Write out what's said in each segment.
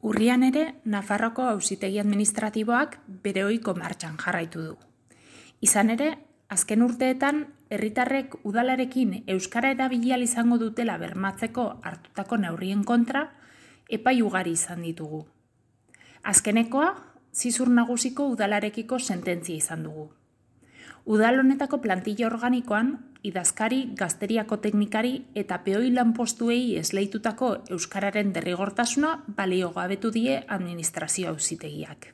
Urrian ere, Nafarroako Auzitegi Administratiboak bere ohiko martxan jarraitu du. Izan ere, azken urteetan, herritarrek udalarekin euskara erabili ahal izango dutela bermatzeko hartutako neurrien kontra, epai ugari izan ditugu. Azkenekoa, Zizur Nagusiko udalarekiko sententzia izan dugu. Udal honetako plantilla organikoan, idazkari, gazteriako teknikari eta peoi lanpostuei esleitutako euskararen derrigortasuna baliogabetu die administrazio auzitegiak.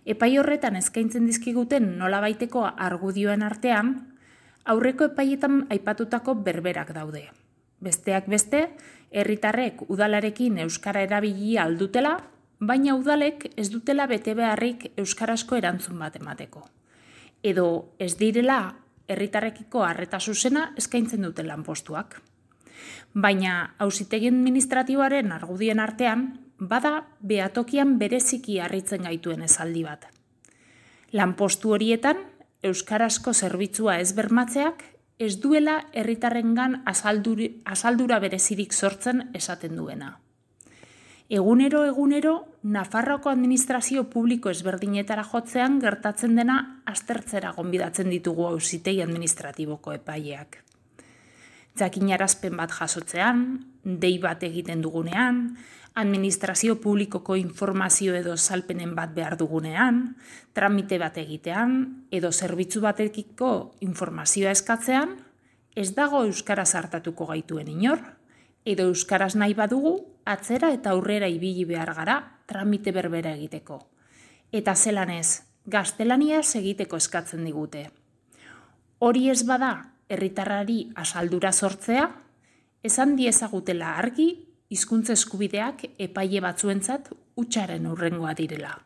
Epai horretan eskaintzen dizkiguten nolabaiteko argudioen artean, aurreko epaietan aipatutako berberak daude. Besteak beste, herritarrek udalarekin euskara erabili ahal dutela, baina udalek ez dutela bete beharrik euskarazko erantzun bat emateko. Edo ez direla herritarrekiko arreta zuzena eskaintzen duten lanpostuak. Baina auzitegi administratiboaren argudien artean, bada behatokian bereziki harritzen gaituen esaldi bat. Lanpostu horietan, euskarazko zerbitzua ez bermatzeak, ez duela herritarrengan asaldura berezirik sortzen esaten duena. Egunero, Nafarroako administrazio publiko ezberdinetara jotzean gertatzen dena aztertzera gonbidatzen ditugu auzitegi administratiboko epaileak. Jakinarazpen bat jasotzean, dei bat egiten dugunean, administrazio publikoko informazio edo salpenen bat behar dugunean, tramite bat egitean, edo zerbitzu batekiko informazioa eskatzean, ez dago euskaraz hartatuko gaituen inor, edo euskaraz nahi badugu, atzera eta aurrera ibili behar gara tramite berbera egiteko. Eta zelan ez, gaztelaniaz egiteko eskatzen digute. Hori ez bada, herritarrari asaldura sortzea, esan diezagutela argi, hizkuntza eskubideak epaile batzuentzat hutsaren hurrengoa direla.